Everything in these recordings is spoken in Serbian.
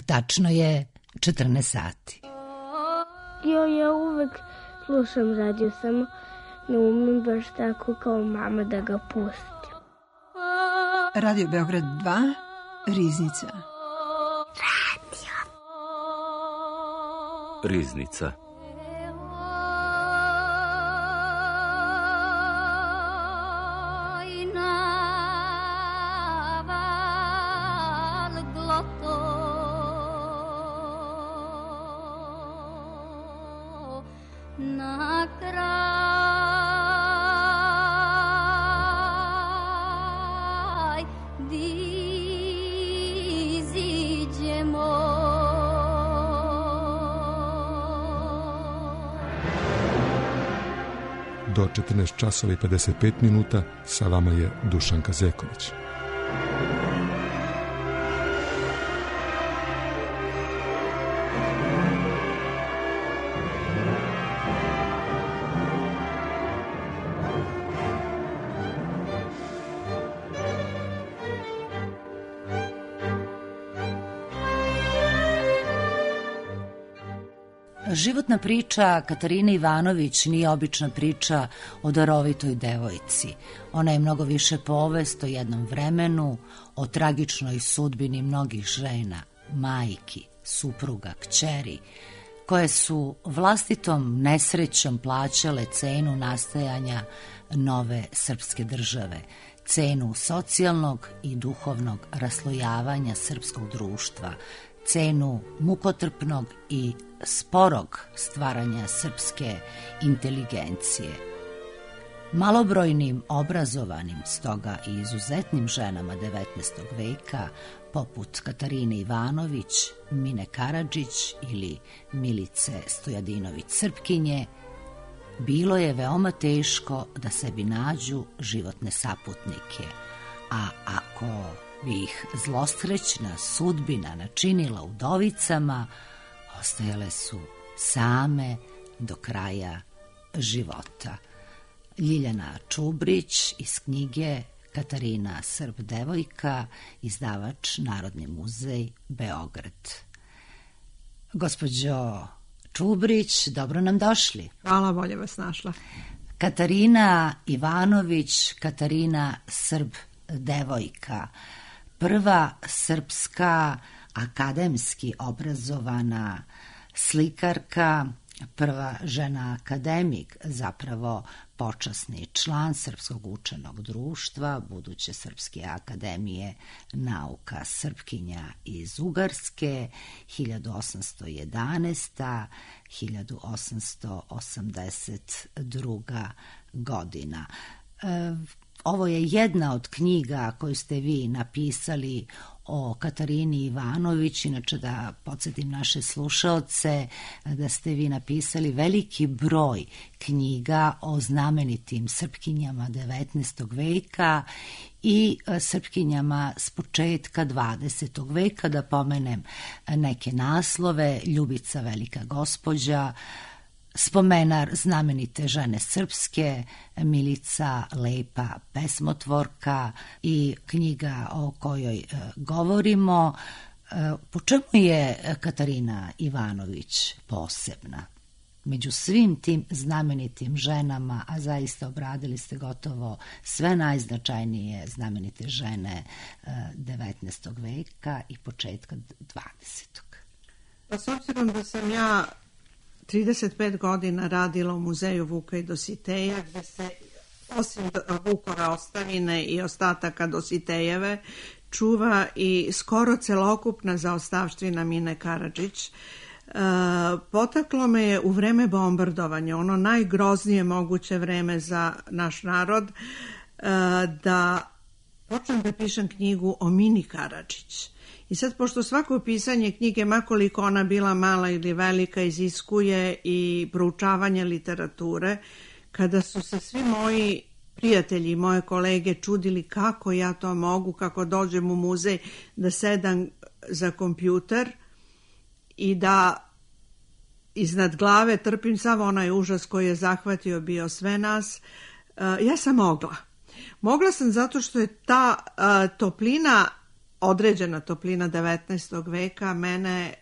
Tačno je 14 sati. Ja uvek slušam radio, samo ne umem baš tako kao mama da ga pustim. Radio Beograd 2, Riznica. Riznica. Do 14 časova i 55 minuta sa vama je Dušan Kazeković. Životna priča Katarine Ivanović nije obična priča o darovitoj devojci. Ona je mnogo više povest o jednom vremenu, o tragičnoj sudbini mnogih žena, majki, supruga, kćeri, koje su vlastitom nesrećom plaćale cenu nastajanja nove srpske države, cenu socijalnog i duhovnog raslojavanja srpskog društva, cenu mukotrpnog i sporog stvaranja srpske inteligencije. Malobrojnim, obrazovanim, stoga i izuzetnim ženama 19. veka, poput Katarine Ivanović, Mine Karadžić ili Milice Stojadinović-Srpkinje, bilo je veoma teško da sebi nađu životne saputnike, a ako bi ih zlosrećna sudbina načinila udovicama, ostajale su same do kraja života. Ljiljana Čubrić iz knjige Katarina Srb devojka, izdavač Narodni muzej Beograd. Gospođo Čubrić, dobro nam došli. Hvala, bolje vas našla. Katarina Ivanović, Katarina Srb devojka, prva srpska akademski obrazovana slikarka, prva žena akademik, zapravo počasni član Srpskog učenog društva, buduće Srpske akademije nauka, Srpkinja iz Ugarske, 1811. 1882. godina. Ovo je jedna od knjiga koju ste vi napisali o Katarini Ivanović, inače da podsjetim naše slušaoce da ste vi napisali veliki broj knjiga o znamenitim Srpkinjama 19. veka i Srpkinjama s početka 20. veka, da pomenem neke naslove: Ljubica velika gospođa, Spomenar znamenite žene srpske, Milica lepa pesmotvorka i knjiga o kojoj govorimo. Po čemu je Katarina Ivanović posebna? Među svim tim znamenitim ženama, a zaista obradili ste gotovo sve najznačajnije znamenite žene 19. veka i početka 20. Pa s obzirom da sam ja 35 godina radila u muzeju Vuka i Dositeja, gde se osim Vukove ostavine i ostataka Dositejeve čuva i skoro celokupna zaostavština Mine Karadžić, potaklo me je u vreme bombardovanja, ono najgroznije moguće vreme za naš narod, da počnem da pišem knjigu o Mini Karadžić. I sad, pošto svako pisanje knjige, makoliko ona bila mala ili velika, iziskuje i proučavanje literature, kada su se svi moji prijatelji i moje kolege čudili kako ja to mogu, kako dođem u muzej, da sedam za kompjuter i da iznad glave trpim sav onaj užas koji je zahvatio bio sve nas, ja sam mogla. Mogla sam zato što je ta toplina određena toplina 19. veka mene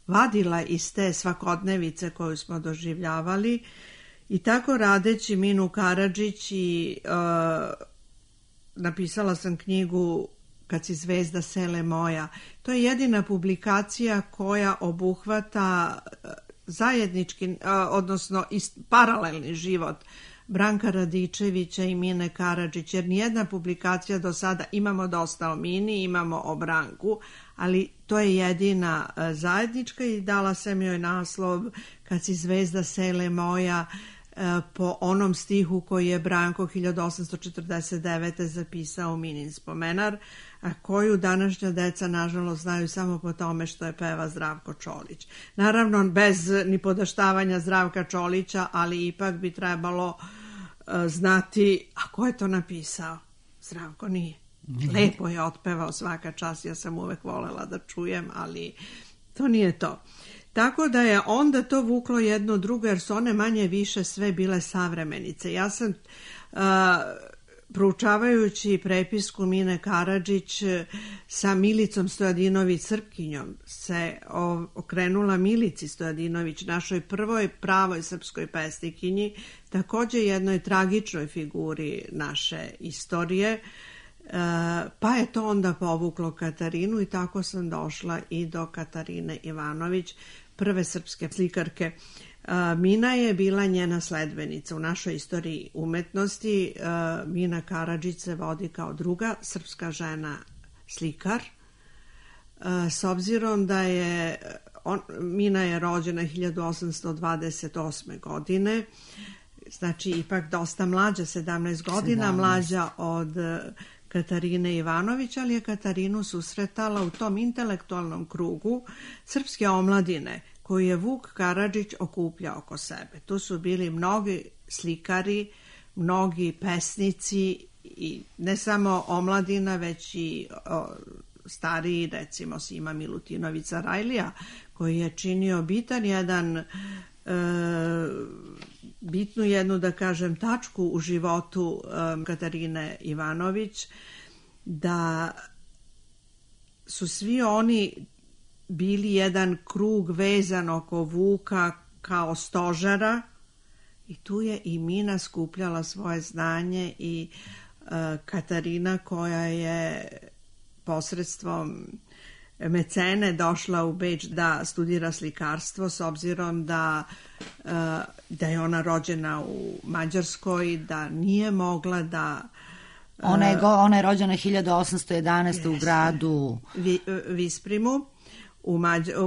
vadila iz te svakodnevice koju smo doživljavali i tako radeći Minu Karadžić i napisala sam knjigu Kad si zvezda sele moja. To je jedina publikacija koja obuhvata zajednički, odnosno paralelni život Branka Radičevića i Mine Karadžić, jer nijedna publikacija do sada, imamo dosta o Mini, imamo o Branku, ali to je jedina zajednička i dala sam joj naslov Kad si zvezda sele moja, po onom stihu koji je Branko 1849. zapisao u Minin spomenar, a koju današnja deca nažalost znaju samo po tome što je peva Zdravko Čolić. Naravno bez ni podaštavanja Zdravka Čolića, ali ipak bi trebalo znati, a ko je to napisao? Zdravko nije. Lepo je otpevao, svaka čast, ja sam uvek volela da čujem, ali to nije to. Tako da je onda to vuklo jedno drugo, jer su one manje više sve bile savremenice. Ja sam, proučavajući prepisku Mine Karadžić sa Milicom Stojadinović Srpkinjom, se okrenula Milici Stojadinović, našoj prvoj pravoj srpskoj pesnikinji, također jednoj tragičnoj figuri naše istorije, pa je to onda povuklo Katarinu i tako sam došla i do Katarine Ivanović, prve srpske slikarke. Mina je bila njena sledbenica u našoj istoriji umetnosti. Mina Karadžić se vodi kao druga srpska žena slikar. S obzirom da je Mina je rođena 1828. godine, znači ipak dosta mlađa, 17 godina 17. mlađa od Katarine Ivanović, ali je Katarinu susretala u tom intelektualnom krugu srpske omladine koju je Vuk Karadžić okupljao oko sebe. Tu su bili mnogi slikari, mnogi pesnici i ne samo omladina, već i stariji, recimo Sima Milutinović Sarajlija, koji je činio bitnu jednu, da kažem, tačku u životu Katarine Ivanović, da su svi oni bili jedan krug vezan oko Vuka kao stožera i tu je i Mina skupljala svoje znanje i Katarina, koja je posredstvom mecene došla u Beč da studira slikarstvo, s obzirom da je ona rođena u Mađarskoj, da nije mogla da... Ona je rođena 1811. u gradu Visprimu u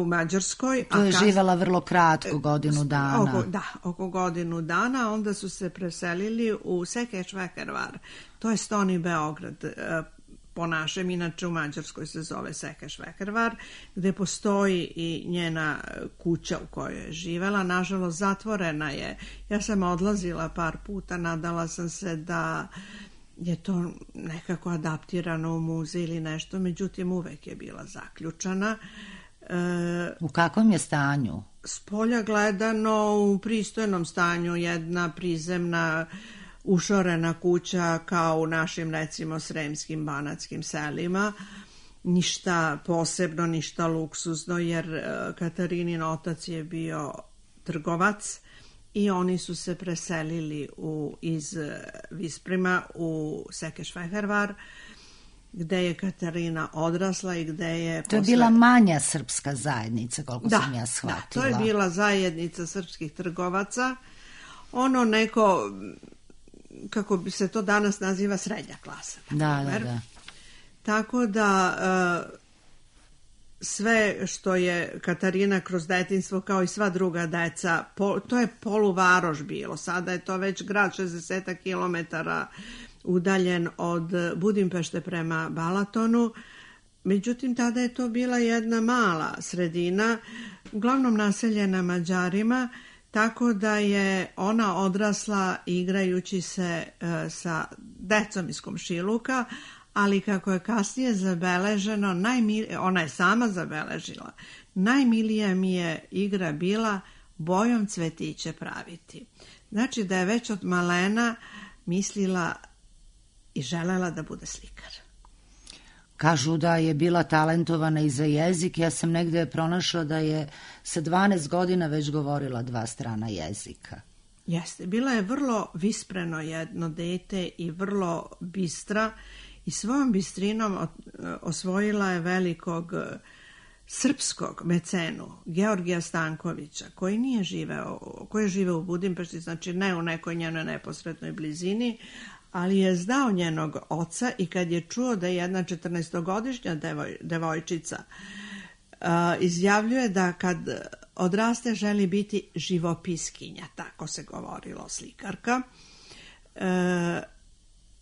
Mađarskoj. Tu je živela vrlo kratko, godinu dana. Oko godinu dana. Onda su se preselili u Sekeš-Vekervar. To je Stoni Beograd po našem, inače u Mađarskoj se zove Sekeš-Vekervar, gde postoji i njena kuća u kojoj je živela. Nažalost, zatvorena je. Ja sam odlazila par puta, nadala sam se da je to nekako adaptirano u muzej ili nešto, međutim uvek je bila zaključana. U kakvom je stanju? Spolja gledano u pristojnom stanju, jedna prizemna ušorena kuća kao u našim, recimo, sremskim banatskim selima. Ništa posebno, ništa luksuzno, jer Katarinin otac je bio trgovac i oni su se preselili iz Visprima u Sekeš-Vekervar, gde je Katarina odrasla i gde je... To je bila manja srpska zajednica, koliko sam ja shvatila. Da, to je bila zajednica srpskih trgovaca. Ono neko, kako bi se to danas naziva, srednja klasa. Da. Tako da sve što je Katarina kroz detinjstvo, kao i sva druga deca, to je poluvaroš bilo. Sada je to već grad 60 kilometara udaljen od Budimpešte prema Balatonu. Međutim, tada je to bila jedna mala sredina, uglavnom naseljena Mađarima, tako da je ona odrasla igrajući se sa decom iz komšiluka, ali kako je kasnije zabeleženo, ona je sama zabeležila, najmilija mi je igra bila bojom cvetiće praviti. Znači da je već od malena mislila i želela da bude slikar. Kažu da je bila talentovana i za jezik. Ja sam negde pronašla da je sa 12 godina već govorila 2 strana jezika. Jeste, bila je vrlo vispreno jedno dete i vrlo bistra i svojom bistrinom osvojila je velikog srpskog mecenu Georgija Stankovića, koji je živeo u Budimpešti, znači ne u nekoj njenoj neposrednoj blizini, ali je znao njenog oca i kad je čuo da je jedna 14-godišnja devojčica izjavljuje da kad odraste želi biti živopiskinja, tako se govorilo, slikarka,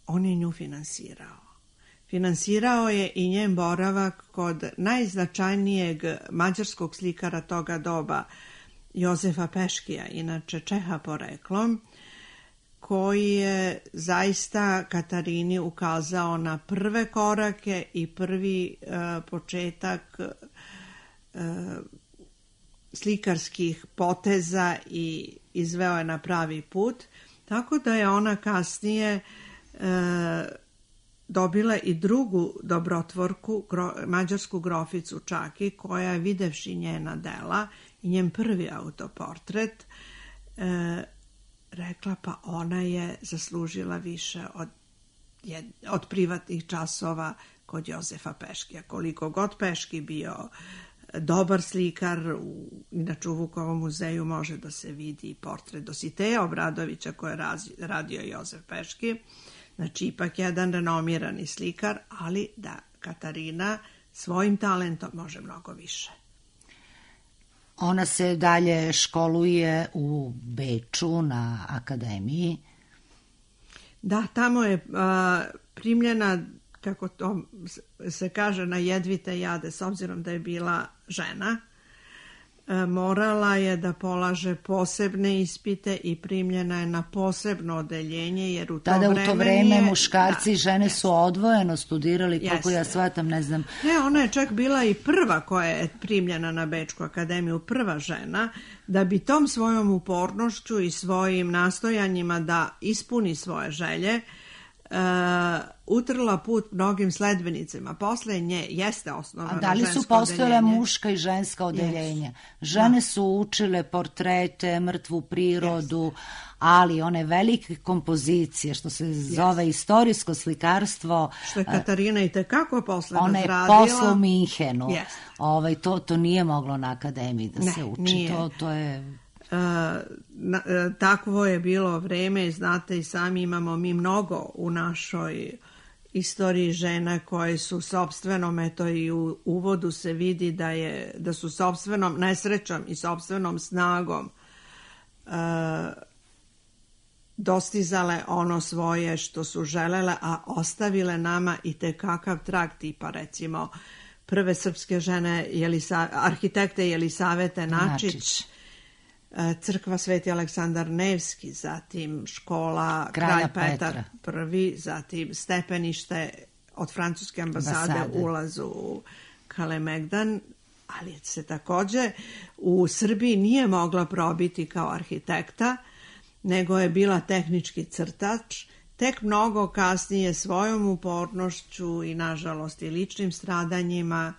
on je nju finansirao. Finansirao je i njen boravak kod najznačajnijeg mađarskog slikara toga doba, Jozefa Peškija, inače Čeha poreklom, koji je zaista Katarini ukazao na prve korake i prvi početak slikarskih poteza i izveo je na pravi put, tako da je ona kasnije dobila i drugu dobrotvorku, mađarsku groficu Čaki, koja je videvši njena dela i njen prvi autoportret rekla pa ona je zaslužila više od privatnih časova kod Jozefa Peškija. Koliko god Peški bio dobar slikar, inače u Vukovom muzeju može da se vidi portret Dositeja Obradovića koje je radio Jozef Peški, znači ipak jedan renomirani slikar, ali da Katarina svojim talentom može mnogo više. Ona se dalje školuje u Beču na akademiji. Da, tamo je primljena, kako to se kaže, na jedvite jade, s obzirom da je bila žena. Morala je da polaže posebne ispite i primljena je na posebno odeljenje, jer u to vreme muškarci i žene su odvojeno studirali, koliko ja shvatam, ne znam. Ne, ona je čak bila i prva koja je primljena na Bečku akademiju, prva žena, da bi tom svojom upornošću i svojim nastojanjima da ispuni svoje želje utrla put mnogim sledbenicima. Posle nje jeste osnovano žensko odeljenje. A da li su postojala muška i ženska odeljenja? Žene su učile portrete, mrtvu prirodu, ali one velike kompozicije, što se zove istorijsko slikarstvo... Što je Katarina i tekako posle razradila. Ona je posle u Minhenu. To nije moglo na akademiji da se uči. Nije. To je... Takvo je bilo vreme, znate i sami, imamo mi mnogo u našoj istoriji žena koje su sopstvenom, eto i u uvodu se vidi da su sopstvenom nesrećom i sopstvenom snagom dostizale ono svoje što su želele, a ostavile nama i tekakav trag, tipa recimo prve srpske žene arhitekte Jelisavete Načić, crkva Sveti Aleksandar Nevski, zatim škola Kralj Petar I, zatim stepenište od francuske ambasade ulazu u Kalemegdan, ali se takođe u Srbiji nije mogla probiti kao arhitekta, nego je bila tehnički crtač. Tek mnogo kasnije svojom upornošću i nažalost i ličnim stradanjima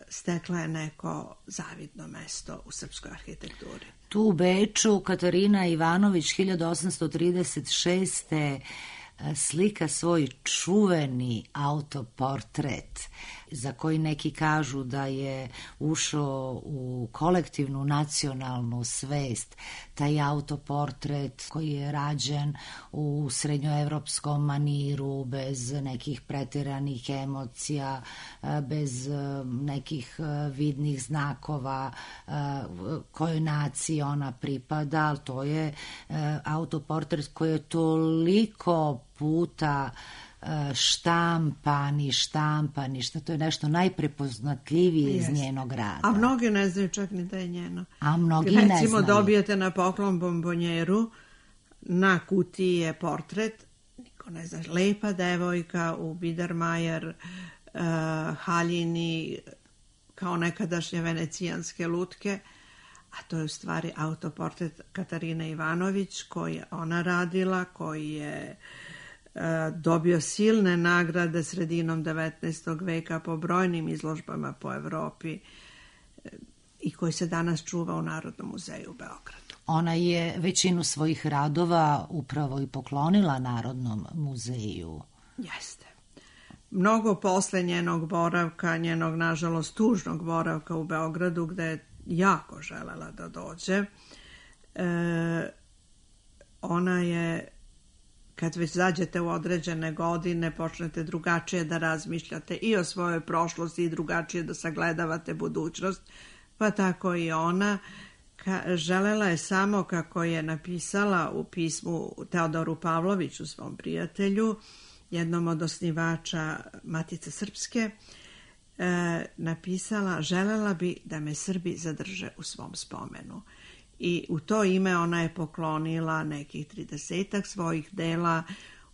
stekla je neko zavidno mesto u srpskoj arhitekturi. Tu u Beču Katarina Ivanović 1836. slika svoj čuveni autoportret za koji neki kažu da je ušao u kolektivnu nacionalnu svest. Taj autoportret koji je rađen u srednjoevropskom maniru, bez nekih preteranih emocija, bez nekih vidnih znakova kojoj naciji ona pripada, ali to je autoportret koji je toliko puta štampani, što to je nešto najprepoznatljivije iz njenog rada. A mnogi ne znaju čak ni da je njeno. A mnogi ne znaju. Recimo dobijete na poklon bombonjeru, na kutiji je portret, niko ne zna, lepa devojka u Biedermajer haljini kao nekadašnje venecijanske lutke, a to je u stvari autoportret Katarine Ivanović koji je ona radila, koji je dobio silne nagrade sredinom 19. veka po brojnim izložbama po Evropi i koji se danas čuva u Narodnom muzeju u Beogradu. Ona je većinu svojih radova upravo i poklonila Narodnom muzeju. Jeste. Mnogo posle njenog boravka, njenog nažalost tužnog boravka u Beogradu, gde je jako želela da dođe, ona je, kad već zađete u određene godine, počnete drugačije da razmišljate i o svojoj prošlosti i drugačije da sagledavate budućnost, pa tako i ona želela je samo, kako je napisala u pismu Teodoru Pavloviću, svom prijatelju, jednom od osnivača Matice Srpske, napisala: želela bi da me Srbi zadrže u svom spomenu. I u to ime ona je poklonila nekih 30 svojih dela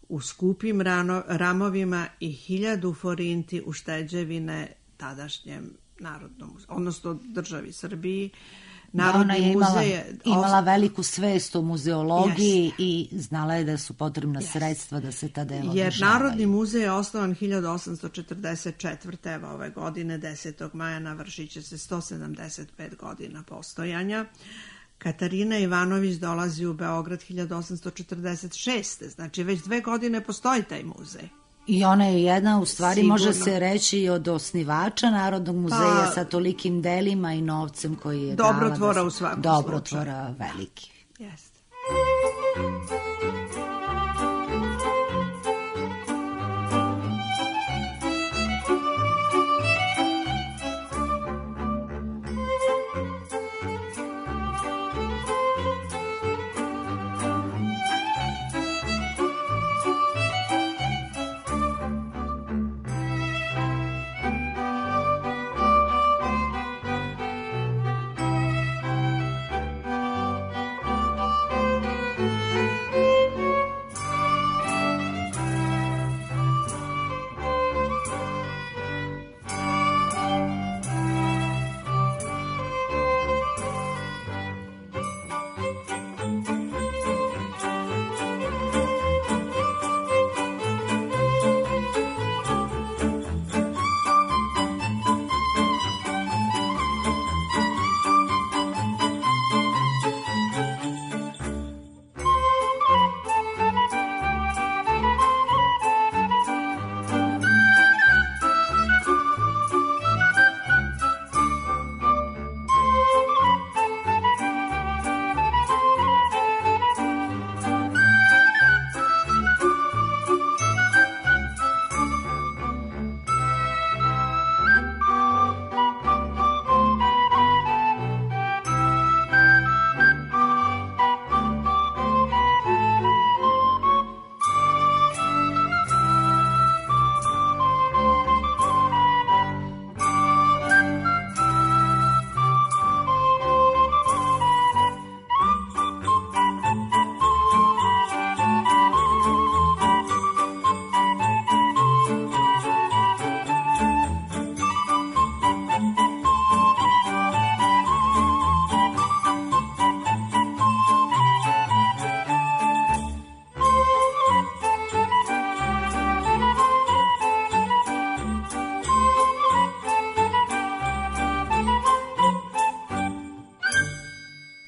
u skupim ramovima i 1000 forinti ušteđevine tadašnjem Narodnom, odnosno državi Srbiji. Ona je imala veliku svest o muzeologiji i znala je da su potrebna sredstva da se ta dela održavaju. Jer Narodni muzej je osnovan 1844. Evo ove godine, 10. maja, navršit će se 175 godina postojanja. Katarina Ivanović dolazi u Beograd 1846. Znači već 2 godine postoji taj muzej. I ona je jedna, u stvari, može se reći, od osnivača Narodnog muzeja sa tolikim delima i novcem koji je dala. Dobrotvora u svakom slučaju. Dobrotvora veliki. Jeste.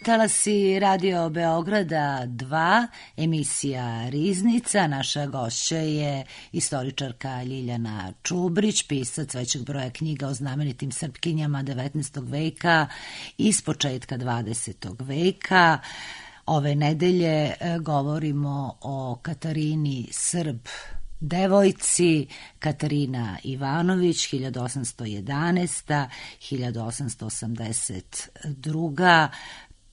Talasi Radio Beograda 2, emisija Riznica. Naša gošća je istoričarka Ljiljana Čubrić, pisac većeg broja knjiga o znamenitim Srpkinjama 19. veka i s početka 20. veka. Ove nedelje govorimo o Katarini Srb devojci. Katarina Ivanović, 1811. 1882.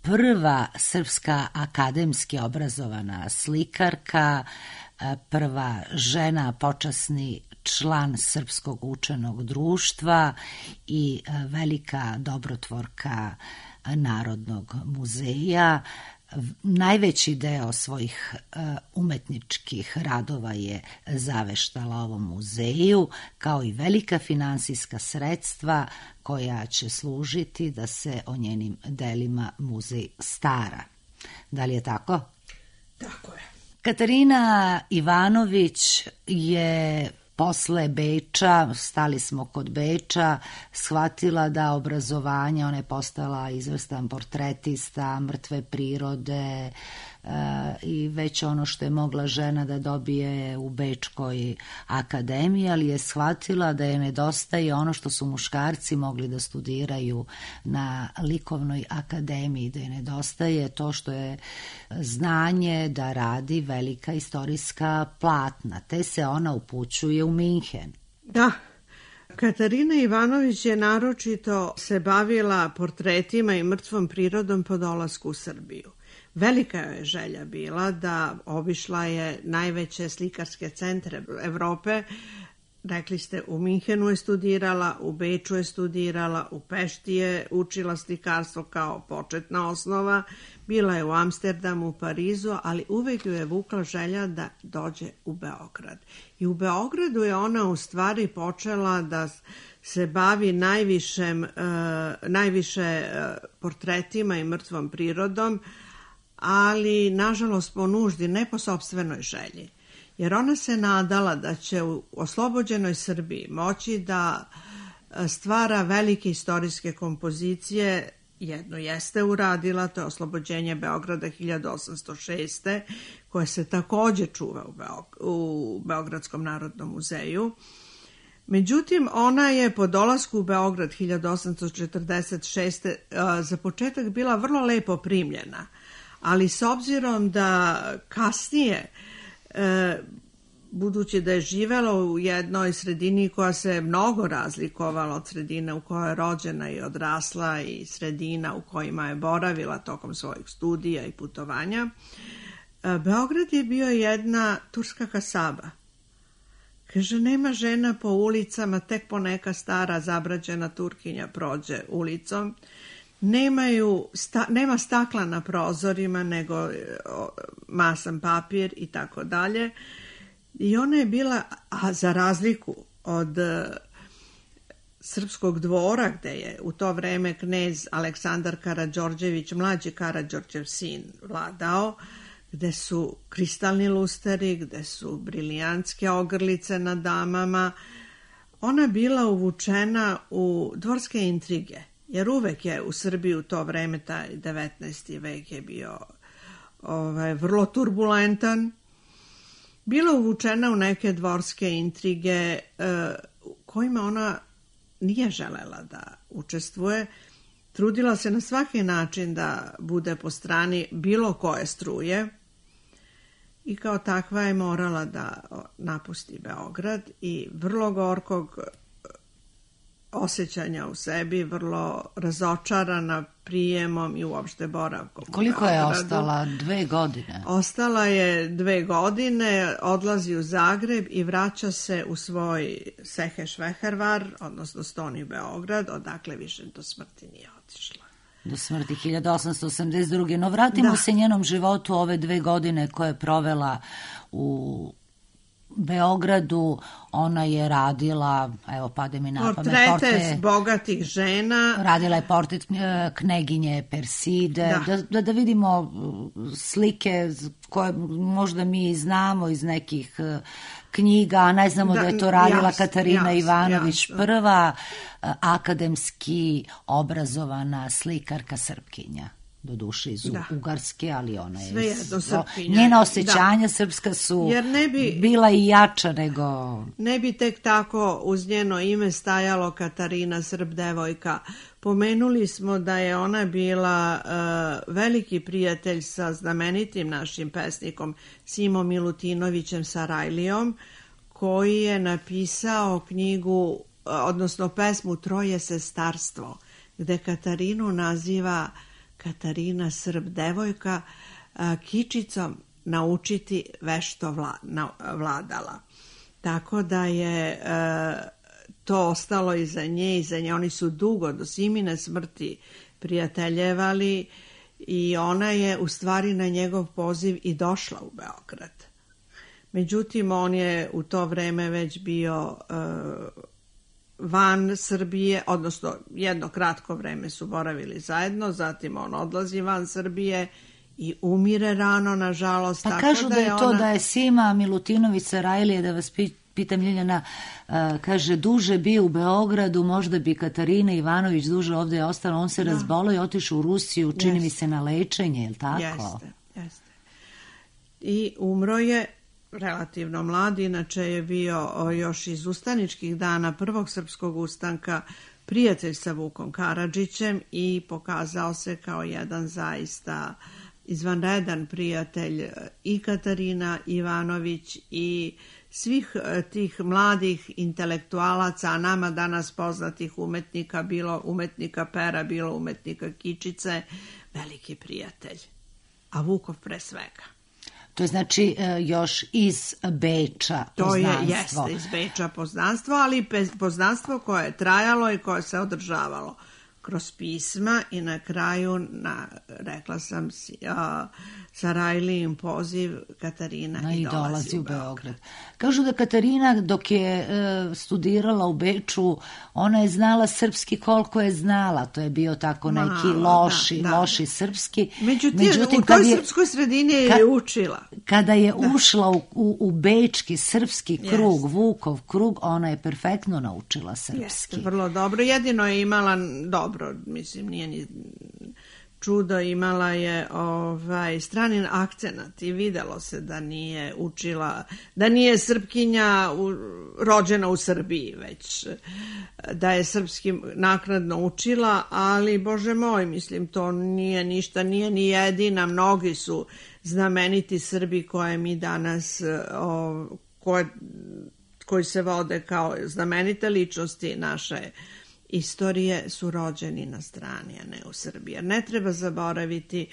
Prva srpska akademski obrazovana slikarka, prva žena, počasni član Srpskog učenog društva i velika dobrotvorka Narodnog muzeja. Najveći deo svojih umetničkih radova je zaveštala ovom muzeju, kao i velika finansijska sredstva koja će služiti da se o njenim delima muzej stara. Da li je tako? Tako je. Katarina Ivanović je posle Beča, stali smo kod Beča, shvatila da obrazovanje, ona je postala izvrstan portretista, mrtve prirode i već ono što je mogla žena da dobije u Bečkoj akademiji, ali je shvatila da je nedostaje ono što su muškarci mogli da studiraju na likovnoj akademiji, da je nedostaje to što je znanje da radi velika istorijska platna, te se ona upućuje u Minhen. Da, Katarina Ivanović je naročito se bavila portretima i mrtvom prirodom po dolasku u Srbiju. Velika je želja bila da obišla je najveće slikarske centre Evrope. Rekli ste, u Minhenu je studirala, u Beču je studirala, u Pešti je učila slikarstvo kao početna osnova, bila je u Amsterdamu, u Parizu, ali uvek ju je vukla želja da dođe u Beograd. I u Beogradu je ona u stvari počela da se bavi najviše portretima i mrtvom prirodom, ali nažalost po nuždi, ne po sopstvenoj želji. Jer ona se nadala da će u oslobođenoj Srbiji moći da stvara velike istorijske kompozicije. Jedno jeste uradila, to je Oslobođenje Beograda 1806. koje se takođe čuva u Beogradskom narodnom muzeju. Međutim, ona je po dolasku u Beograd 1846. za početak bila vrlo lepo primljena, ali s obzirom da kasnije, budući da je živela u jednoj sredini koja se mnogo razlikovala od sredine u kojoj je rođena i odrasla i sredina u kojima je boravila tokom svojih studija i putovanja, Beograd je bio jedna turska kasaba. Kaže, nema žena po ulicama, tek poneka stara zabrađena Turkinja prođe ulicom. Nema stakla na prozorima, nego masan papir i tako dalje. I ona je bila, a za razliku od Srpskog dvora, gde je u to vreme knez Aleksandar Karađorđević, mlađi Karađorđev sin, vladao, gde su kristalni lusteri, gde su brilijantske ogrlice na damama, ona bila uvučena u dvorske intrige. Jer uvek je u Srbiji u to vreme, taj 19. vek je bio vrlo turbulentan, bila uvučena u neke dvorske intrige kojima ona nije želela da učestvuje. Trudila se na svaki način da bude po strani bilo koje struje i kao takva je morala da napusti Beograd i vrlo gorkog osjećanja u sebi, vrlo razočarana prijemom i uopšte boravkom. Koliko je ostala? 2 godine? Ostala je 2 godine, odlazi u Zagreb i vraća se u svoj Seheš-Vehervar, odnosno Stoni Beograd, odakle više do smrti nije otišla. Do smrti 1882. No vratimo se njenom životu ove 2 godine koje je provela u Beogradu. Ona je radila, evo pade mi na pamet, portrete bogatih žena. Radila je portret kneginje Perside, da vidimo slike koje možda mi znamo iz nekih knjiga, a ne znamo da je to radila Katarina Ivanović, prva akademski obrazovana slikarka Srpkinja. Do duše iz Ugarske, ali ona je... Njena osjećanja srpska su bila i jača nego... Ne bi tek tako uz njeno ime stajalo Katarina Srb devojka. Pomenuli smo da je ona bila veliki prijatelj sa znamenitim našim pesnikom Simom Milutinovićem Sarajlijom, koji je napisao knjigu, odnosno pesmu Troje sestarstvo, gde Katarinu naziva Katarina Srb devojka, kičicom naučiti vešto vladala. Tako da je to ostalo iza nje. Oni su dugo do Simine smrti prijateljevali i ona je u stvari na njegov poziv i došla u Beograd. Međutim, on je u to vreme već bio van Srbije, odnosno jedno kratko vreme su boravili zajedno, zatim on odlazi van Srbije i umire rano, nažalost. Pa kažu da je to da je Sima Milutinović Sarajlije, da vas pitam Ljiljana, kaže duže bio u Beogradu, možda bi Katarina Ivanović duže ovdje ostala, on se razbolio i otišao u Rusiju, čini mi se na lečenje, je li tako? Jeste. I umro je relativno mlad, inače je bio još iz ustaničkih dana prvog srpskog ustanka prijatelj sa Vukom Karadžićem i pokazao se kao jedan zaista izvanredan prijatelj i Katarina Ivanović i svih tih mladih intelektualaca, a nama danas poznatih umetnika, bilo umetnika Pera, bilo umetnika Kičice, veliki prijatelj. A Vukov pre svega. To je znači još iz Beča poznanstvo. To jeste iz Beča poznanstvo, ali poznanstvo koje je trajalo i koje se održavalo kroz pisma i na kraju, rekla sam, Sarajlijin poziv Katarina i dolazi u Beograd. Kažu da Katarina dok je studirala u Beču, ona je znala srpski koliko je znala, to je bio tako neki loši srpski. Međutim, u toj srpskoj sredini je učila. Kada je ušla u bečki srpski krug, Vukov krug, ona je perfektno naučila srpski. Jeste, vrlo dobro. Jedino je imala dobro, mislim, nije ni čudo, imala je stranin akcenat i videlo se da nije učila, da nije Srpkinja rođena u Srbiji, već da je srpski naknadno učila, ali Bože moj, mislim, to nije ništa, nije ni jedina, mnogi su znameniti Srbi koje mi danas, koji se vode kao znamenite ličnosti naše istorije, su rođeni na strani, a ne u Srbiji. Jer ne treba zaboraviti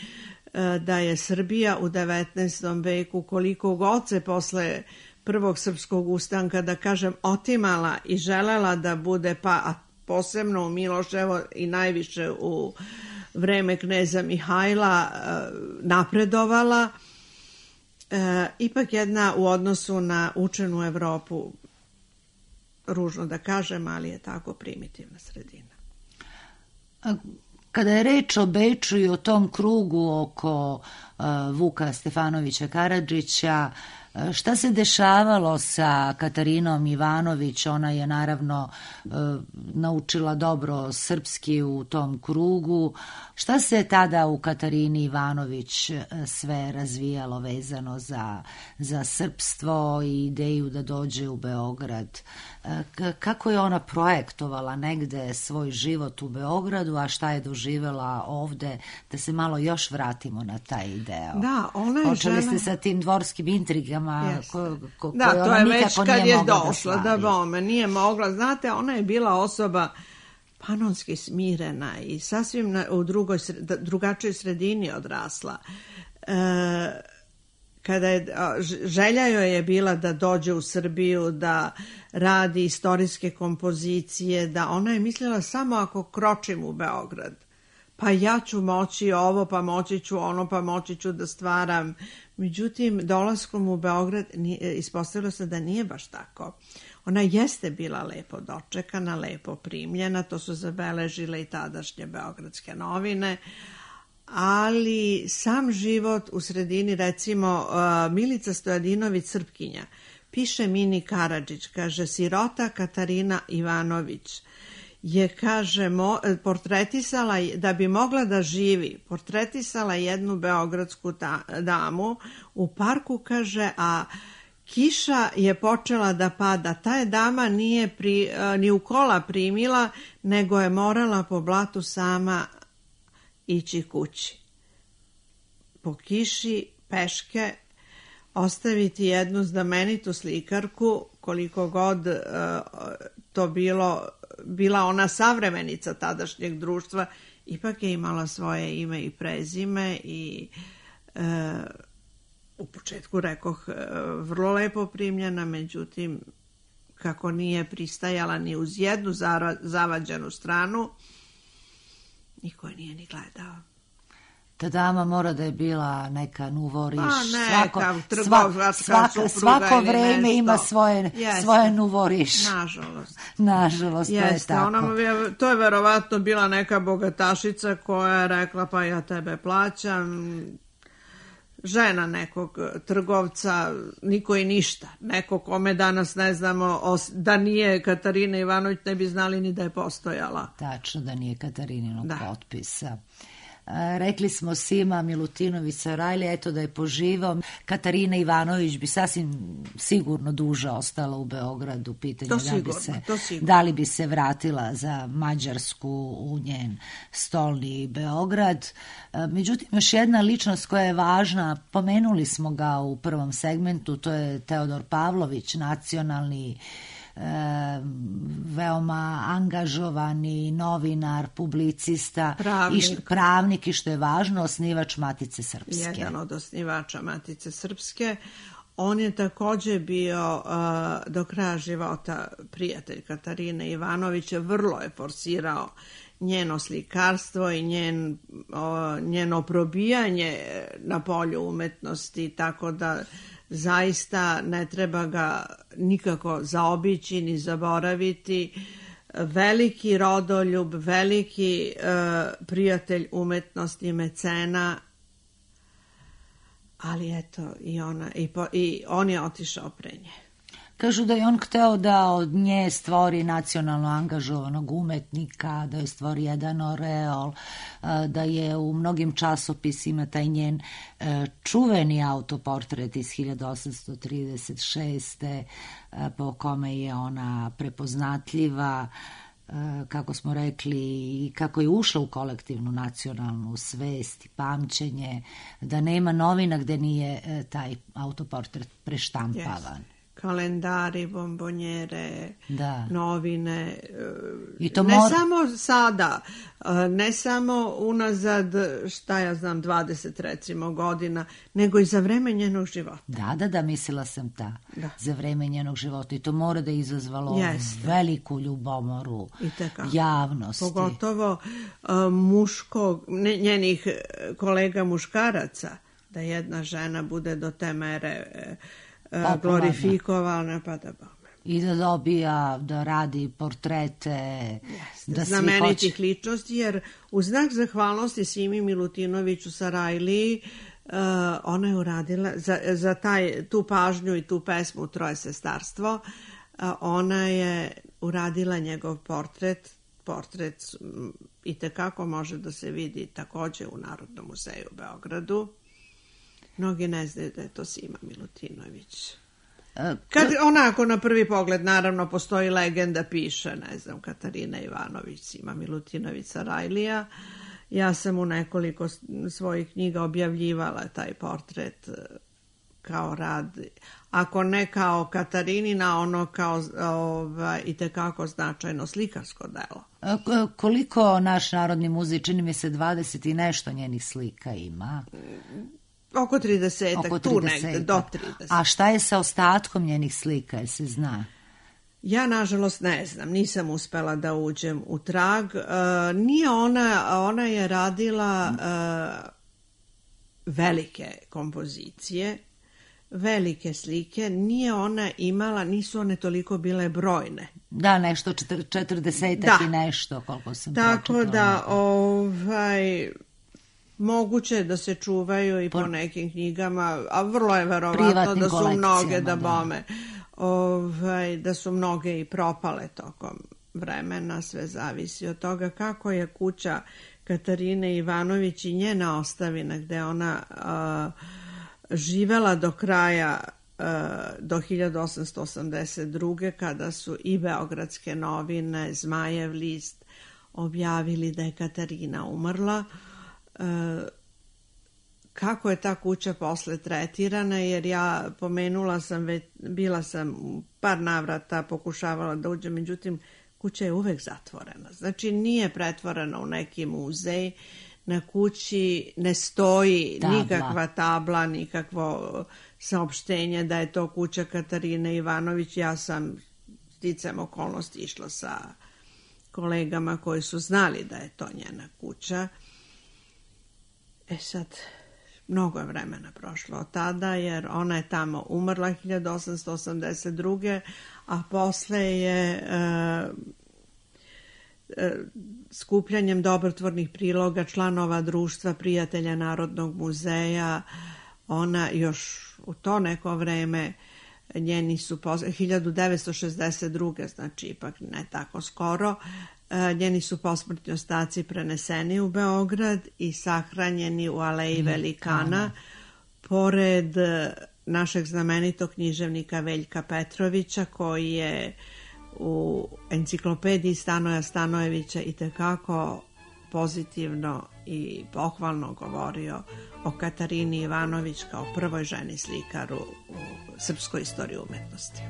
da je Srbija u 19. veku, koliko god se posle prvog srpskog ustanka, da kažem, otimala i želela da bude, pa posebno u Miloševo i najviše u vreme kneza Mihajla, napredovala, ipak jedna u odnosu na učenu Evropu, ružno da kažem, ali je tako primitivna sredina. Kada je reč o Beču i o tom krugu oko Vuka Stefanovića Karadžića, šta se dešavalo sa Katarinom Ivanović? Ona je naravno naučila dobro srpski u tom krugu. Šta se tada u Katarini Ivanović sve razvijalo vezano za srpstvo i ideju da dođe u Beograd? Kako je ona projektovala negde svoj život u Beogradu, a šta je doživjela ovde? Da se malo još vratimo na taj deo. Da, ona je počeli ste sa tim dvorskim intrigama. Da, to je već kad je došla da bome, nije mogla. Znate, ona je bila osoba panonski smirena i sasvim u drugačijoj sredini odrasla. Kada želja joj je bila da dođe u Srbiju, da radi istorijske kompozicije, da ona je mislila samo ako kročim u Beograd, pa ja ću moći ovo, pa moći ću ono, pa moći ću da stvaram. Međutim, dolaskom u Beograd ispostavilo se da nije baš tako. Ona jeste bila lepo dočekana, lepo primljena, to su zabeležile i tadašnje beogradske novine, ali sam život u sredini, recimo Milica Stojadinović, Srpkinja, piše Mini Karadžić, kaže, sirota Katarina Ivanović je, kaže, portretisala, da bi mogla da živi, portretisala jednu beogradsku damu u parku, kaže, a kiša je počela da pada. Ta je dama nije ni u kola primila, nego je morala po blatu sama ići kući. Po kiši, peške, ostaviti jednu znamenitu slikarku, koliko god to bila ona savremenica tadašnjeg društva, ipak je imala svoje ime i prezime i u početku, rekoh, vrlo lepo primljena, međutim, kako nije pristajala ni uz jednu zavađenu stranu, niko je nije ni gledao. Ta dama mora da je bila neka nuvoriš. Neka trgovačka supruga svako ili vreme nešto. Ima svoje nuvoriš. Nažalost, to je tako. To je verovatno bila neka bogatašica koja je rekla, pa ja tebe plaćam, žena nekog trgovca, niko i ništa. Neko kome danas ne znamo, da nije Katarina Ivanović, ne bi znali ni da je postojala. Tačno, da nije Katariниnog potpisa. Rekli smo Sima Milutinović Sarajli, eto da je poživao. Katarina Ivanović bi sasvim sigurno duže ostala u Beogradu. Pitanje da li bi se vratila za Mađarsku u njen stolni Beograd. Međutim, još jedna ličnost koja je važna, pomenuli smo ga u prvom segmentu, to je Teodor Pavlović, nacionalni veoma angažovani novinar, publicista, pravnik i što je važno, osnivač Matice Srpske. Jedan od osnivača Matice Srpske. On je također bio do kraja života prijatelj Katarine Ivanović, vrlo je forsirao njeno slikarstvo i njeno probijanje na polju umetnosti, tako da zaista ne treba ga nikako zaobići ni zaboraviti. Veliki rodoljub, veliki prijatelj umetnosti i mecena, ali eto i on je otišao pre nje. Kažu da je on hteo da od nje stvori nacionalno angažovanog umetnika, da je stvori jedan oreol, da je u mnogim časopisima taj njen čuveni autoportret iz 1836. Po kome je ona prepoznatljiva, kako smo rekli, i kako je ušla u kolektivnu nacionalnu svest i pamćenje, da nema novina gde nije taj autoportret preštampavan. Yes. Kalendari, bombonjere, novine, ne samo sada, ne samo unazad, 20 recimo godina, nego i za vreme njenog života. Da, mislila sam za vreme njenog života i to mora da je izazvalo veliku ljubomoru javnosti. Pogotovo njenih kolega muškaraca, da jedna žena bude do te mere glorifikovana, pa da bome. I da dobija, da radi portrete, da znamenitih ličnosti, jer u znak zahvalnosti Simi Milutinoviću Sarajliji ona je uradila za tu pažnju i tu pesmu Troje sestarstvo, ona je uradila njegov portret i tekako može da se vidi također u Narodnom muzeju u Beogradu. Mnogi ne znaju da je to Sima Milutinović. Kad onako na prvi pogled, naravno, postoji legenda, piše, ne znam, Katarina Ivanović, Sima Milutinović Sarajlija. Ja sam u nekoliko svojih knjiga objavljivala taj portret kao rad, ako ne kao Katarinina, ono kao i tekako značajno slikarsko delo. Koliko naš Narodni muzej, čini mi se 20 i nešto njenih slika ima? Oko 30, tu negde, do 30. A šta je sa ostatkom njenih slika, jel se zna? Ja, nažalost, ne znam, nisam uspela da uđem u trag. Nije ona je radila velike kompozicije, velike slike, nije ona imala, nisu one toliko bile brojne. Da, nešto 40 i nešto, koliko sam pročitala. Tako da, moguće da se čuvaju i po nekim knjigama, a vrlo je verovatno da su mnoge da su mnoge i propale tokom vremena, sve zavisi od toga kako je kuća Katarine Ivanović i njena ostavina gde ona živela do kraja, do 1882. kada su i Beogradske novine, Zmajev list objavili da je Katarina umrla. Kako je ta kuća posle tretirana, jer ja pomenula sam, bila sam u par navrata, pokušavala da uđem, međutim kuća je uvek zatvorena. Znači nije pretvorena u neki muzej, na kući ne stoji nikakva tabla, nikakvo saopštenje da je to kuća Katarine Ivanović. Ja sam sticajem okolnosti išla sa kolegama koji su znali da je to njena kuća. Sad, mnogo je vremena prošlo od tada, jer ona je tamo umrla 1882. a posle je skupljanjem dobrotvornih priloga članova Društva prijatelja Narodnog muzeja Ona još u to neko vreme, njeni su 1962. znači ipak ne tako skoro, njeni su posmrtni ostaci preneseni u Beograd i sahranjeni u Aleji Velikana, pored našeg znamenitog književnika Veljka Petrovića, koji je u enciklopediji Stanoja Stanojevića itekako pozitivno i pohvalno govorio o Katarini Ivanović kao prvoj ženi slikaru u srpskoj istoriji umetnosti.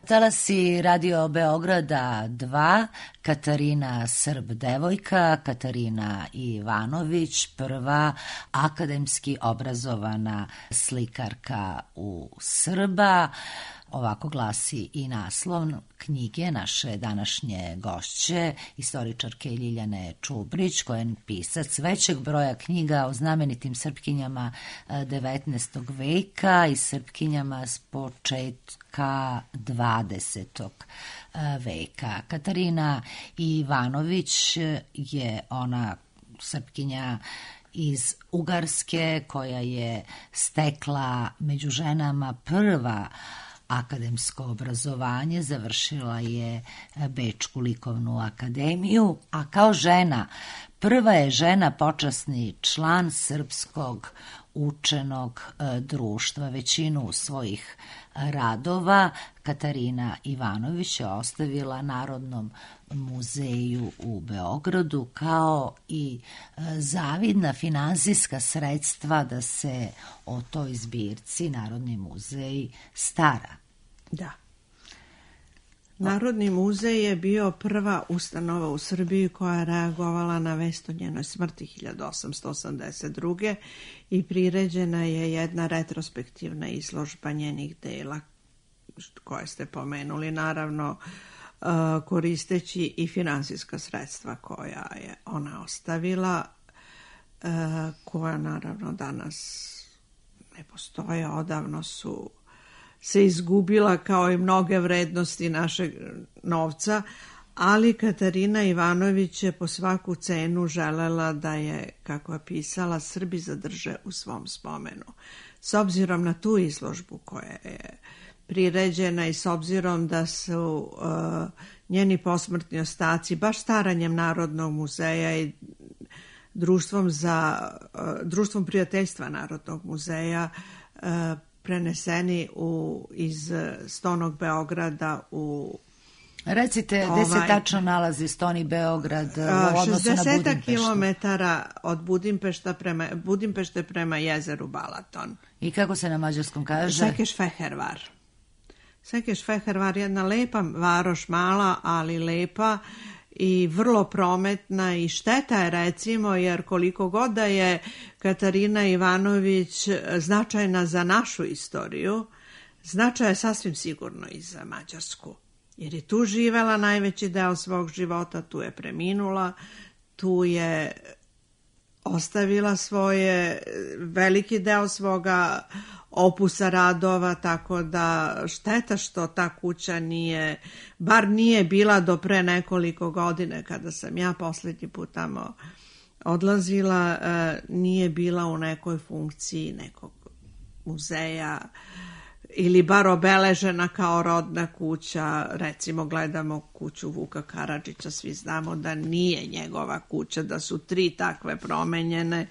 Talasi Radio Beograda 2, Katarina Srb devojka, Katarina Ivanović, prva akademski obrazovana slikarka u Srba. Ovako glasi i naslov knjige naše današnje gošće, istoričarke Ljiljane Čubrić, koja je pisac većeg broja knjiga o znamenitim Srpkinjama 19. veka i Srpkinjama s početka 20. veka. Katarina Ivanović je ona Srpkinja iz Ugarske koja je stekla među ženama prva akademsko obrazovanje, završila je Bečku likovnu akademiju, a kao žena prva je žena počasni član Srpskog učenog društva. Većinu svojih radova Katarina Ivanović je ostavila Narodnom muzeju u Beogradu kao i zavidna finansijska sredstva da se o toj zbirci Narodni muzej stara. Da. Narodni muzej je bio prva ustanova u Srbiji koja je reagovala na vest o njenoj smrti 1882. i priređena je jedna retrospektivna izložba njenih dela koje ste pomenuli, naravno koristeći i finansijska sredstva koja je ona ostavila, koja naravno danas ne postoje, odavno su se izgubila kao i mnoge vrednosti našeg novca, ali Katarina Ivanović je po svaku cenu želela da je, kako je pisala, Srbi zadrže u svom spomenu. S obzirom na tu izložbu koja je priređena i s obzirom da su njeni posmrtni ostaci baš staranjem Narodnog muzeja i društvom prijateljstva Narodnog muzeja preneseni iz Stonog Beograda u... Recite, gde se tačno nalazi Stoni Beograd u odnosu na 60 kilometara od Budimpešte prema jezeru Balaton. I kako se na mađarskom kaže? Sekeš-Fehervar. Sekeš-Fehervar je jedna lepa varoš, mala, ali lepa i vrlo prometna i šteta je, recimo, jer koliko god da je Katarina Ivanović značajna za našu istoriju, značaj je sasvim sigurno i za Mađarsku. Jer je tu živela najveći deo svog života, tu je preminula, tu je ostavila veliki deo svoga opusa radova, tako da šteta što ta kuća bar nije bila do pre nekoliko godine kada sam ja posljednji put tamo odlazila, nije bila u nekoj funkciji nekog muzeja ili bar obeležena kao rodna kuća. Recimo, gledamo kuću Vuka Karadžića, svi znamo da nije njegova kuća, da su 3 takve promenjene.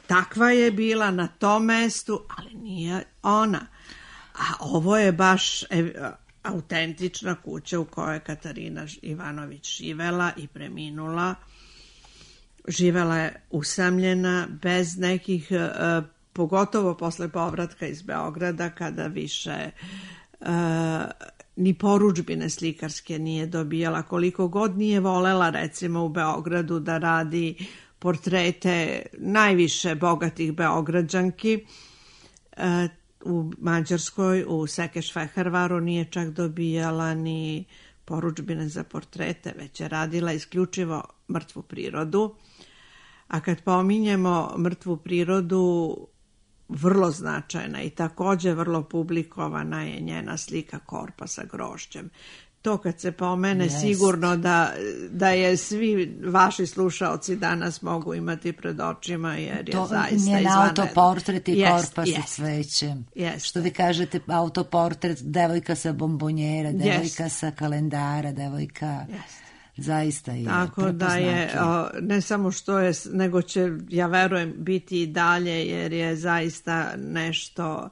Takva je bila na tom mestu, ali nije ona. A ovo je baš autentična kuća u kojoj je Katarina Ivanović živela i preminula. Živela je usamljena, bez nekih... pogotovo posle povratka iz Beograda, kada više ni porudžbine slikarske nije dobijala, koliko god nije volela, recimo, u Beogradu da radi portrete najviše bogatih Beograđanki. U Mađarskoj, u Sekeš-Fehervaru nije čak dobijala ni porudžbine za portrete, već je radila isključivo mrtvu prirodu. A kad pominjemo mrtvu prirodu, vrlo značajna i također vrlo publikovana je njena slika Korpa sa grožđem. To kad se pomene, sigurno da je svi vaši slušaoci danas mogu imati pred očima, jer je zaista izvanredno. Njen autoportret i Korpa sa cvećem. Što vi kažete, autoportret, devojka sa bombonjera, devojka sa kalendara, devojka... Zaista je tako da je, ne samo što je, nego će, ja verujem, biti i dalje, jer je zaista nešto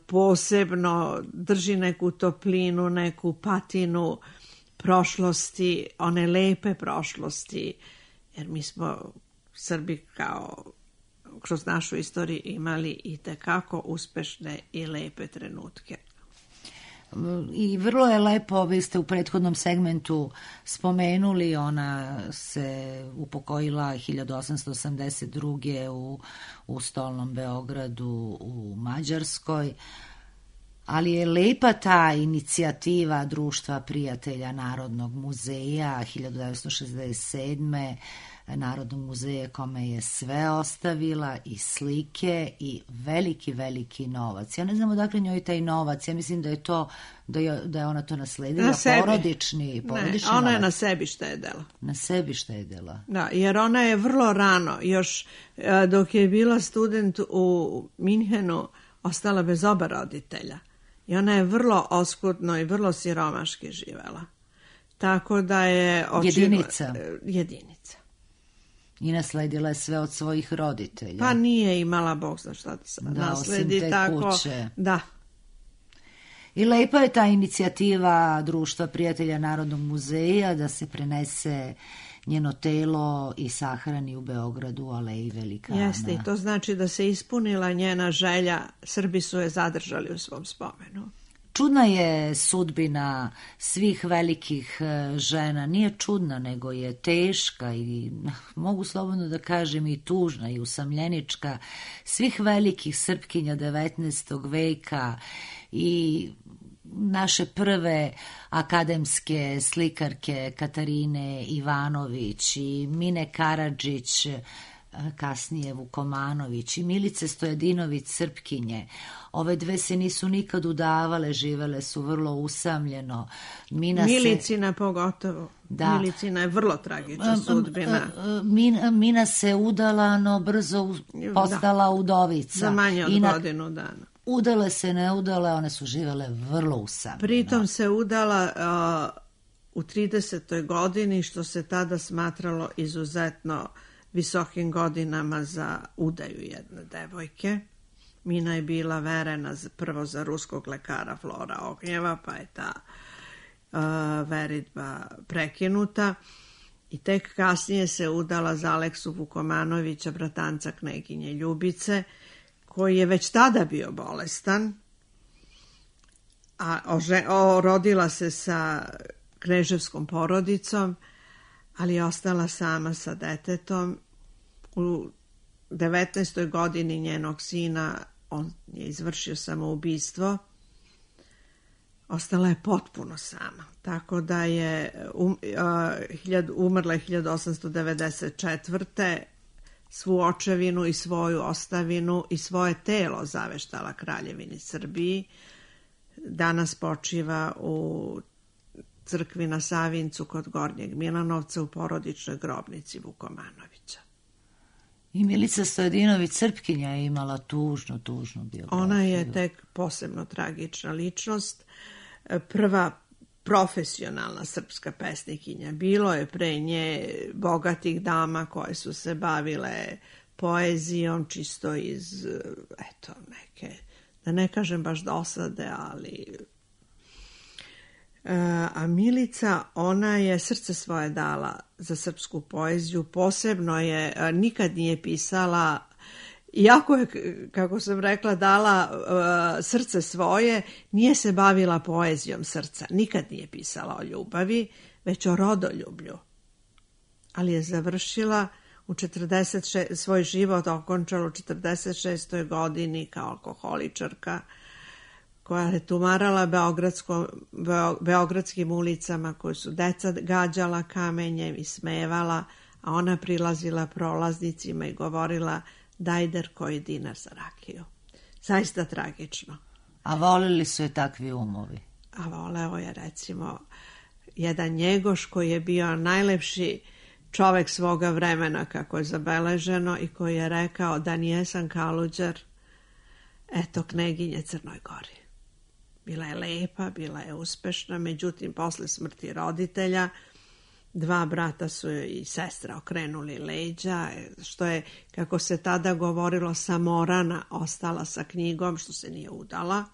posebno, drži neku toplinu, neku patinu prošlosti, one lepe prošlosti, jer mi smo Srbi kroz našu istoriju imali i tekako uspešne i lepe trenutke. I vrlo je lepo, vi ste u prethodnom segmentu spomenuli, ona se upokojila 1882. u Stolnom Beogradu u Mađarskoj, ali je lepa ta inicijativa Društva prijatelja Narodnog muzeja 1967. Narodnog muzeja kome je sve ostavila, i slike i veliki, veliki novac. Ja ne znam odakle njoj taj novac, ja mislim da je to, da je ona to nasledila, porodični ona je na sebi štedela. Na sebi štedela. Da, jer ona je vrlo rano, još dok je bila student u Minhenu, ostala bez oba roditelja. I ona je vrlo oskudno i vrlo siromaški živela. Tako da je... Jedinica. I nasledila je sve od svojih roditelja. Pa nije imala Bog zna šta da nasledi. Osim te tako, kuće. Da. I lepa je ta inicijativa Društva prijatelja Narodnog muzeja da se prenese njeno telo i sahrani u Beogradu u Aleji Velikana. Jeste, i to znači da se ispunila njena želja. Srbi su je zadržali u svom spomenu. Čudna je sudbina svih velikih žena, nije čudna, nego je teška i mogu slobodno da kažem i tužna i usamljenička, svih velikih Srpkinja 19. veka i naše prve akademske slikarke Katarine Ivanović i Mine Karadžić, kasnije Vukomanović i Milice Stojadinović Srpkinje. Ove dve se nisu nikad udavale, živele su vrlo usamljeno. Milicina pogotovo. Da. Milicina je vrlo tragična sudbina. Mina se udala, no brzo postala udovica. Za manje od godinu dana. Udale se, ne udale, one su živele vrlo usamljeno. Pritom se udala u 30. godini, što se tada smatralo izuzetno visokim godinama za udaju jedne devojke. Mina je bila verena prvo za ruskog lekara Flora Ognjeva, pa je ta veritba prekinuta i tek kasnije se udala za Aleksu Vukomanovića, bratanca kneginje Ljubice, koji je već tada bio bolestan, a rodila se sa kneževskom porodicom, ali je ostala sama sa detetom. U 19. godini njenog sina on je izvršio samoubistvo. Ostala je potpuno sama. Tako da je umrla je 1894. Svu očevinu i svoju ostavinu i svoje telo zaveštala Kraljevini Srbiji. Danas počiva u crkvi na Savincu kod Gornjeg Milanovca u porodičnoj grobnici Vukomanovića. I Milica Stojadinović Srpkinja je imala tužnu biografiju. Ona je tek posebno tragična ličnost. Prva profesionalna srpska pesnikinja. Bilo je pre nje bogatih dama koje su se bavile poezijom čisto iz, neke, da ne kažem baš dosade, ali... A Milica, ona je srce svoje dala za srpsku poeziju, posebno je, nikad nije pisala, iako je, kako sam rekla, dala srce svoje, nije se bavila poezijom srca, nikad nije pisala o ljubavi, već o rodoljublju. Ali je završila svoj život okončala u 46. godini kao alkoholičarka, koja je tumarala beogradskim ulicama, koju su deca gađala kamenjem i smevala, a ona prilazila prolaznicima i govorila: dajder koji dinar za rakiju. Zaista tragično. A volili su je takvi umovi? A voleo je, recimo, jedan Njegoš koji je bio najlepši čovek svoga vremena, kako je zabeleženo, i koji je rekao: da nijesan Kaluđer, eto kneginje Crnoj Gori. Bila je lepa, bila je uspešna, međutim, posle smrti roditelja, 2 brata su joj i sestra okrenuli leđa, što je, kako se tada govorilo, samorana ostala sa knjigom, što se nije udala,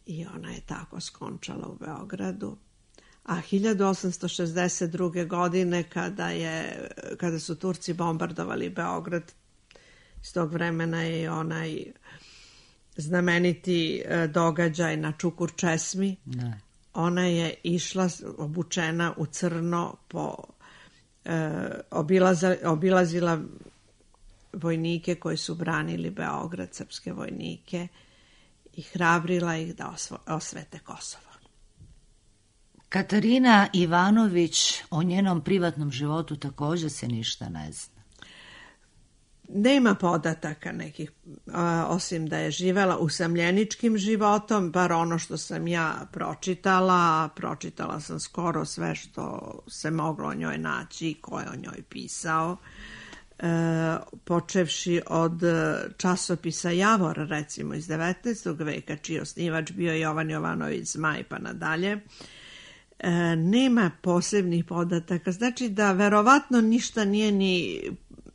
i ona je tako skončala u Beogradu. A 1862. godine, kada su Turci bombardovali Beograd, iz tog vremena je onaj znameniti događaj na Čukur česmi. Ne. Ona je išla obučena u crno, obilazila vojnike koji su branili Beograd, srpske vojnike, i hrabrila ih da osvete Kosovo. Katarina Ivanović, o njenom privatnom životu također se ništa ne zna. Nema podataka nekih, osim da je živela usamljeničkim životom, bar ono što sam ja pročitala sam skoro sve što se moglo o njoj naći, ko je o njoj pisao, počevši od časopisa Javor, recimo iz 19. veka, čiji osnivač bio Jovan Jovanović Zmaj pa nadalje. Nema posebnih podataka, znači da verovatno ništa nije ni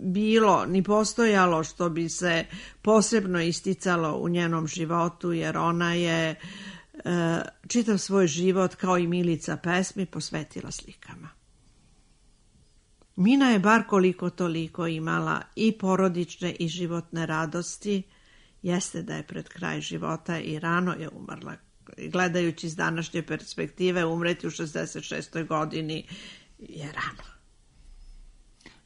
bilo, ni postojalo što bi se posebno isticalo u njenom životu, jer ona je čitav svoj život, kao i Milica pesmi, posvetila slikama. Mina je bar koliko toliko imala i porodične i životne radosti. Jeste da je pred kraj života i rano je umrla. Gledajući iz današnje perspektive, umreti u 66. godini je rano.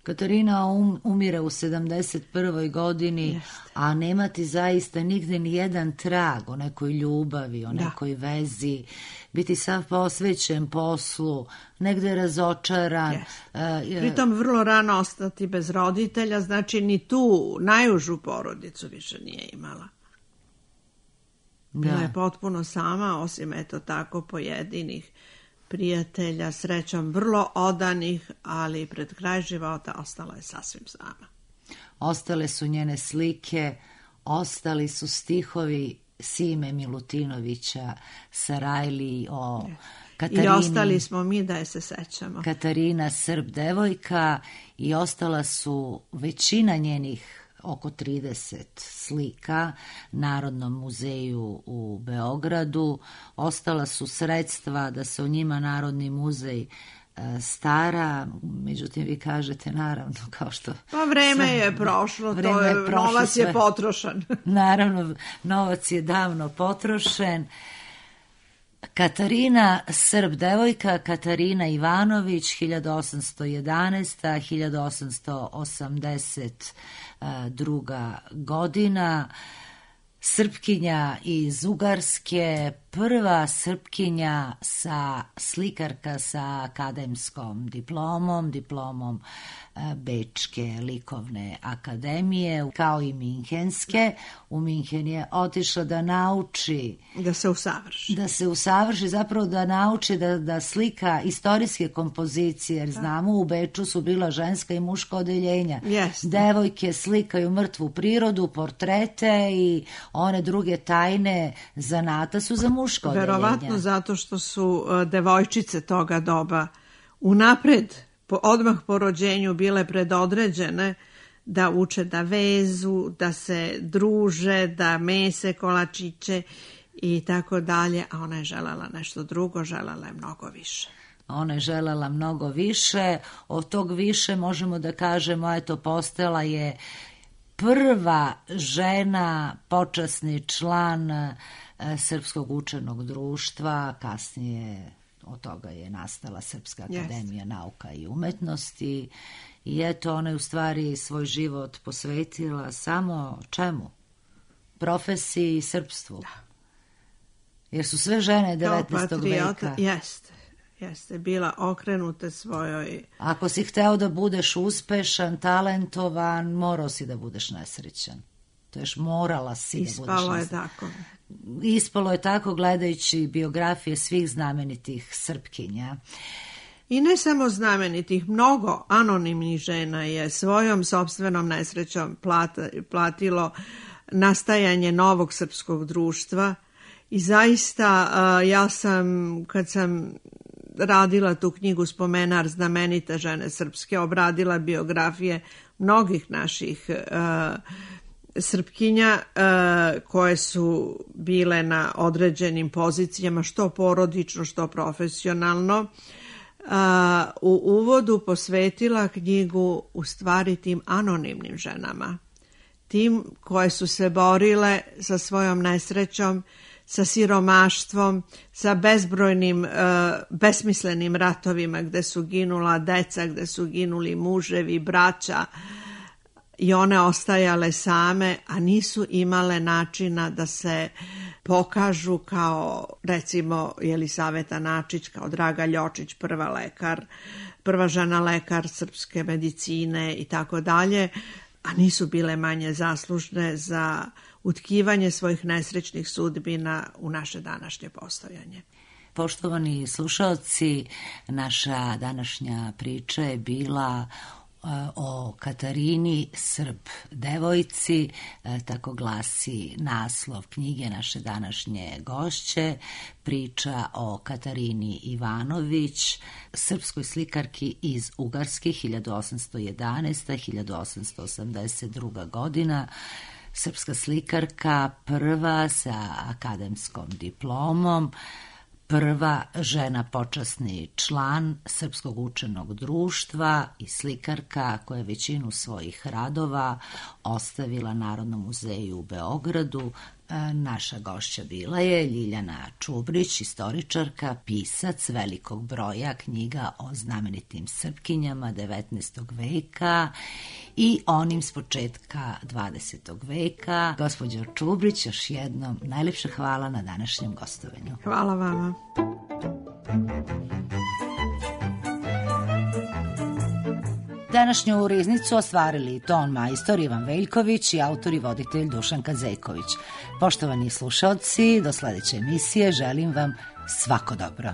Katarina umire u 71. godini, jeste. A nemati zaista nigde ni jedan trag o nekoj ljubavi, o nekoj vezi, biti sav posvećen poslu, negde razočaran. Pritom vrlo rano ostati bez roditelja, znači ni tu najužu porodicu više nije imala. Bila je potpuno sama, osim eto tako pojedinih prijatelja, srećom vrlo odanih, ali pred kraj života ostala je sasvim sama. Ostale su njene slike, ostali su stihovi Sime Milutinovića Sarajli o I ostali smo mi da je se sećamo. Katarina Srb devojka i ostala su većina njenih oko 30 slika Narodnom muzeju u Beogradu. Ostala su sredstva da se o njima Narodni muzej stara, međutim vi kažete naravno kao što... Pa vreme je prošlo, novac je potrošen. Naravno, novac je davno potrošen. Katarina Srb devojka, Katarina Ivanović, 1811. 1882. godina, Srpkinja iz Ugarske, prva Srpkinja slikarka sa akademskom diplomom Bečke likovne akademije, kao i Minhenske. U Minhen je otišla da nauči... Da se usavrši, zapravo da nauči da slika istorijske kompozicije, jer znamo u Beču su bila ženska i muška odeljenja. Yes. Devojke slikaju mrtvu prirodu, portrete i one druge tajne zanata su za muška odeljenja. Verovatno zato što su devojčice toga doba unapred, odmah po rođenju bile predodređene da uče da vezu, da se druže, da mese kolačiće i tako dalje, a ona je želela nešto drugo, želela je mnogo više. Ona je želela mnogo više, od tog više možemo da kažemo, eto, postala je prva žena, počasni član Srpskog učenog društva, kasnije od toga je nastala Srpska akademija nauka i umetnosti i eto, ona je u stvari svoj život posvetila samo čemu? Profesiji i srpstvu. Da. Jer su sve žene 19. veka. Jeste, bila okrenute svojoj... Ako si hteo da budeš uspešan, talentovan, morao si da budeš nesrećan. To još morala si da budeš nesrećan. Ispalo je tako. Ispalo je tako gledajući biografije svih znamenitih Srpkinja. I ne samo znamenitih, mnogo anonimnih žena je svojom sopstvenom nesrećom platilo nastajanje novog srpskog društva i zaista ja sam, kad sam radila tu knjigu Spomenar znamenite žene srpske, obradila biografije mnogih naših Srpkinja koje su bile na određenim pozicijama, što porodično, što profesionalno. U uvodu posvetila knjigu u stvari tim anonimnim ženama, tim koje su se borile sa svojom nesrećom, sa siromaštvom, sa bezbrojnim besmislenim ratovima gde su ginula deca, gde su ginuli muževi, braća, i one ostajale same, a nisu imale načina da se pokažu kao, recimo, Jelisaveta Načić, kao Draga Ljočić, prva žena lekar srpske medicine i tako dalje, a nisu bile manje zaslužne za utkivanje svojih nesrećnih sudbina u naše današnje postojanje. Poštovani slušalci, naša današnja priča je bila o Katarini Srb devojci, tako glasi naslov knjige naše današnje gošće, priča o Katarini Ivanović, srpskoj slikarki iz Ugarske 1811-1882. godina, srpska slikarka, prva sa akademskom diplomom, prva žena počasni član Srpskog učenog društva i slikarka koja je većinu svojih radova ostavila Narodnom muzeju u Beogradu. Naša gošća bila je Ljiljana Čubrić, istoričarka, pisac velikog broja knjiga o znamenitim Srpkinjama 19. veka i onim s početka 20. veka. Gospođo Čubrić, još jednom najlepše hvala na današnjem gostovanju. Hvala vama. Današnju riznicu ostvarili ton majstor Ivan Veljković i autor i voditelj Dušan Kazejković. Poštovani slušalci, do sledeće emisije želim vam svako dobro.